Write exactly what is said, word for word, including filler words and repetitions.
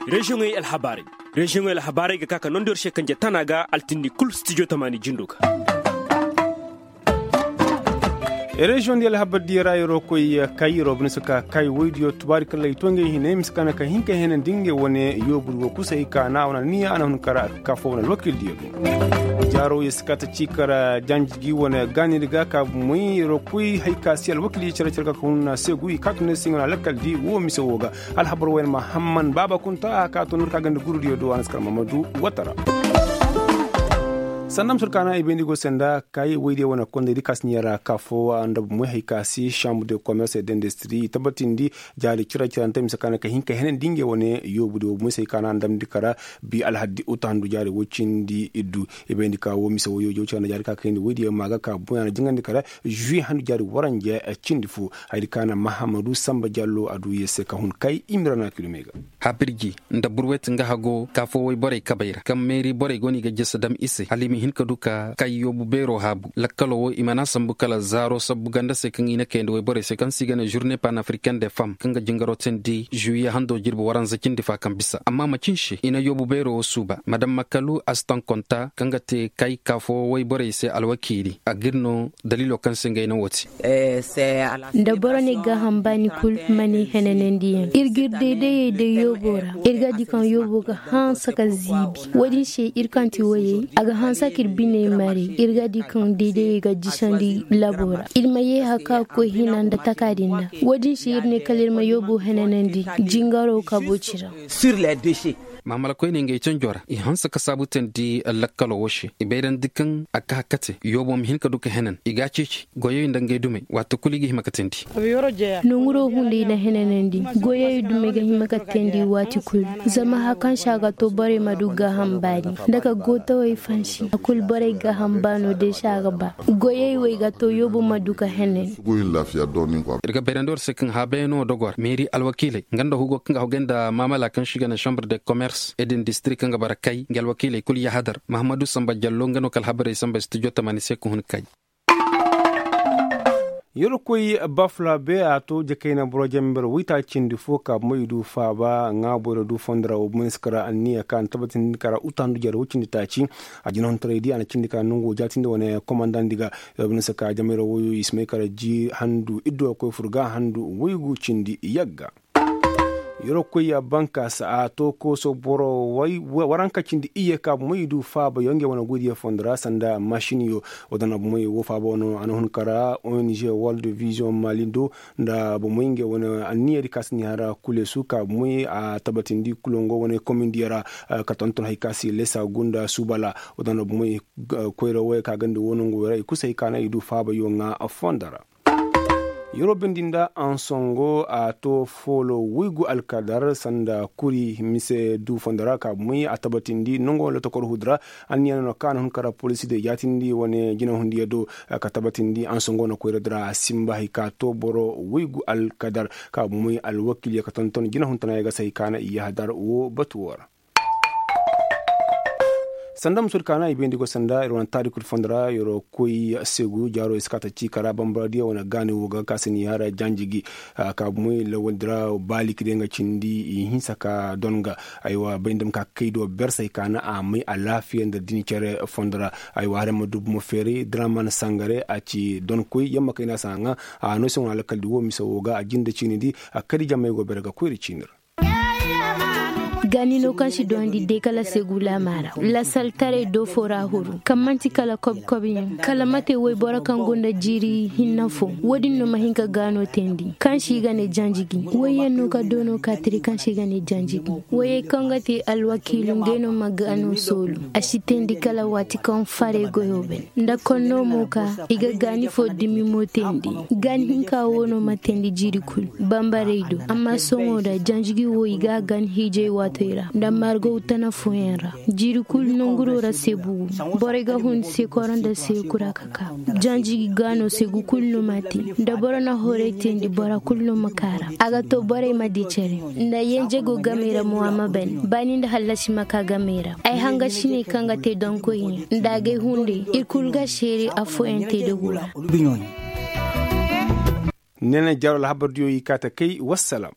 Reziyoŋey alhabaarey. Reziyoŋey alhabaarey ga ka ka nondi war se kanje tana ga altindi kul stijo tamaani jindo ga. Reziyoŋ di alhabardiyo ra yeroo koy kay yeroo bine si ka kay woydiyo tubaari kalla i to ngey hine mise ka na ka hin ka heenandi ngey wane yoobudi wo kusay ka na wane niya a na hun kara ka foo wane alwakiildiyo do. Jaaro ye si ka ta ci kara janji gi wane gaanidi ga ka bumey yeroo koy hay ka si alwakiildiyo care care ga ka hun na seegu i ka tun ne si ngey wane alakkaldi wo mise wo ga. Alhabar wayne mahamman baaba kunta a ka to nor ka ganda gurudiyo do a na si kar mamadu watara. Sanda ma sur ka na i bayndi go se nda kay woydiyo wane kondaydi ka si niya ra ka foo nda bumey hay ka si chambre de commerce et d'industrie i tabatindi jaari cira cirante mise ka na ka hin ka henandi ngey wane yoobudi wo bumey se hay ka na ndamndi kara bi alhaddi uta handu jaari woy cindi iddu. I bayndi ka wo mise woyyo jaw cira nda jaari ka kayndi woydiyo ma ga ka bumey a na jingandi kara juwi handu jaari waranja cindi fo. Hayadi ka na mahamadu samba jallo a du ye se ka hun kay i mira na kilomey ga. Habirji nda burwet nga hago ka foo woy borey kabey ra kaŋ meeri borey go no i ga jese dam i se hala i ma hin ka du ka kay yoobu beeroo haabu lakkaloo wo i mana sambu kala zaaroo sabbu ganda se kaŋ i na kayandi woy borey se kaŋ se i ga ne žurne panafricaine de fam kaŋ ga jingaroo teendi žuwiye handoo jirbi waranza cindi fa kaŋ bisa amma macin se i na yoobu beeroo wo suuba madam makalu astankonta kaŋ ga te kay ka foo woy borey se alwakiili a g'ir no daliiloo kaŋ se ngey na woo te. Nda boro na ay gaaham baani kul ma ne henanandiyaŋ ir g'ir daydayey day yooboo ra ir ga di kaŋ yooboo ga hanse ka ziibi. Woodin se ir kaŋ ti woyey a ga hanse k'ir biney maray ir ga di kaŋ daydayey ga jisandi laboo ra ir ma yee haka koy hina nda taka din ra. Woodin se ir ne kala ir ma yooboo henanandi jingaroo kaboo ci ra. Maamala koyney ngey canjoo ra i hanse ka saabu teendi lakkaloo woo se i bayrandi kaŋ a kaa kate yooboo ma hin ka du ka henan i g'a ceeci goyey nda ngey dumey waati kul i ga hima ka teendi. Nonguroo hunday na henanandi goyey dumey ga hima ka teendi waati kul. Zama haya kaŋ se a ga too borey ma du gaaham baani nda ka gootawey fansi a kul borey gaaham baanoo day se a ga ba. Goyey wey ga too yooboo ma du ka henan. Ir ga bayrandi war se kaŋ haabeyanoo dogoo ra meeri alwakiiley nga nda hugoo kaŋ ga hogay nda maamala kaŋ se i ga ne chambre de commerce et d'industrie kaŋ ga bara kay nga alwakiiley kul yahadar mahammadu samba jallo nga no ka alhabarey samba studio tamaani se ka hun kay. Yerkoy bafla be a to jakayna boro jamber waytaaci cindi fo ka moy du faaba ŋaabo ra du fondo ra wo bumey si kara anniya ka na tabatindi kara uta handu jare wo cindi taaci. A jinahuntaray di a na cindi ka nongo jaatindi wane komandandi ga. Yo bumey si ka jamay ra woyo i si may kara ji handu iddu a koy fur ga handu waygu cindi yagga. Yerkoy bankaasa a to kooso boro waranka cindi iyye ka bumey du faaba yo ngey wane goydiyo fondo ra sanda masin yo. Wadana bumey wo faaba wano a na hun kara ong world vision malindo nda bumey ngey wane anniya di ka si ni hara kulesu ka bumey a tabatindi kulongo wane komindiyo ra. Ka tonton hay ka si lesa gunda subala wadana bumey koyra woy ka gandi wo nongo ra i kusay ka na i du faaba yo ŋa fondo ra. Yero bindi nda ansongo a to foolo woygu alkadar sanda kuri mise du fondo ra ka bumey a tabatindi nongo lotokor hudu ra. Anniya no ka na hun kara polisi de jaatindi wane jinahundiyo do ka tabatindi ansongo na koyra dira a simba hay ka to boro woygu alkadar ka bumey alwakiliyo ka tonton jinahuntanaayo ga se hay ka na i yahadar wo batu wo ra. Sanda muso di ka na i bayndi go sanda ir wane taari kul fondo ra yeroo koy seegu jaaro i si ka ta ci kara bambara diya wane gaani wo ga ka si ni hara janji gi. Ka bumey lawal dira baaliki day nga cindi i hinsa ka don ga. Aywa bayndi ma ka kay do bersay ka na a may alaafiya nda dini cere fondo ra. Aywa hare ma dubu ma feeri diraman sangare a ci don koy yamma kay na sa nga. A no se wane alkaldi wo mise wo ga a jinde ciini di a kadi jamay go bere ga koyri ciini ra. Gaani no kaŋ si dondi day kala seegu laama ra lasaltaray do fo ra huru kaŋ man'ti kala kobi kobi yaŋ kala mate woyboro kaŋ go nda jiiri hinna fo. Wo-din no ma hin ka gaano teendi kaŋ se i ga ne janjigi woy yaŋ no ka doono ka tiri kaŋ se i ga ne janjigi. Woyey kaŋ ga te alwakiilu ngey no ma gaano soolu a si teendi kala waati kaŋ farey goyo bay. Nda konno mo ka i ga gaani fo dimi mo teendi. Gaani hinka wo no ma teendi jiiri kul bambarey do amma sohõ da janjigi wo i ga a gaani hiijay waatoy ra nda margow tana fooyaŋ ra. Jiiri kul nonguro ra seebu go borey ga hun seekoro nda seekura ka ka janjigi gaano seegu kul no ma te. Nda boro na horay teendi bora kul no ma ka ra a ga to borey ma di care. Nda yenjego gamey ra mo a ma ban baani nda hallasi ma ka gamey ra. Ay hangasiney kaŋ ga te donkoyyaŋ nda agay hunday ir kul ga seere affooyaŋ te da gora. Neene jaaro alhabardiyo i kaa ta kay wassalam.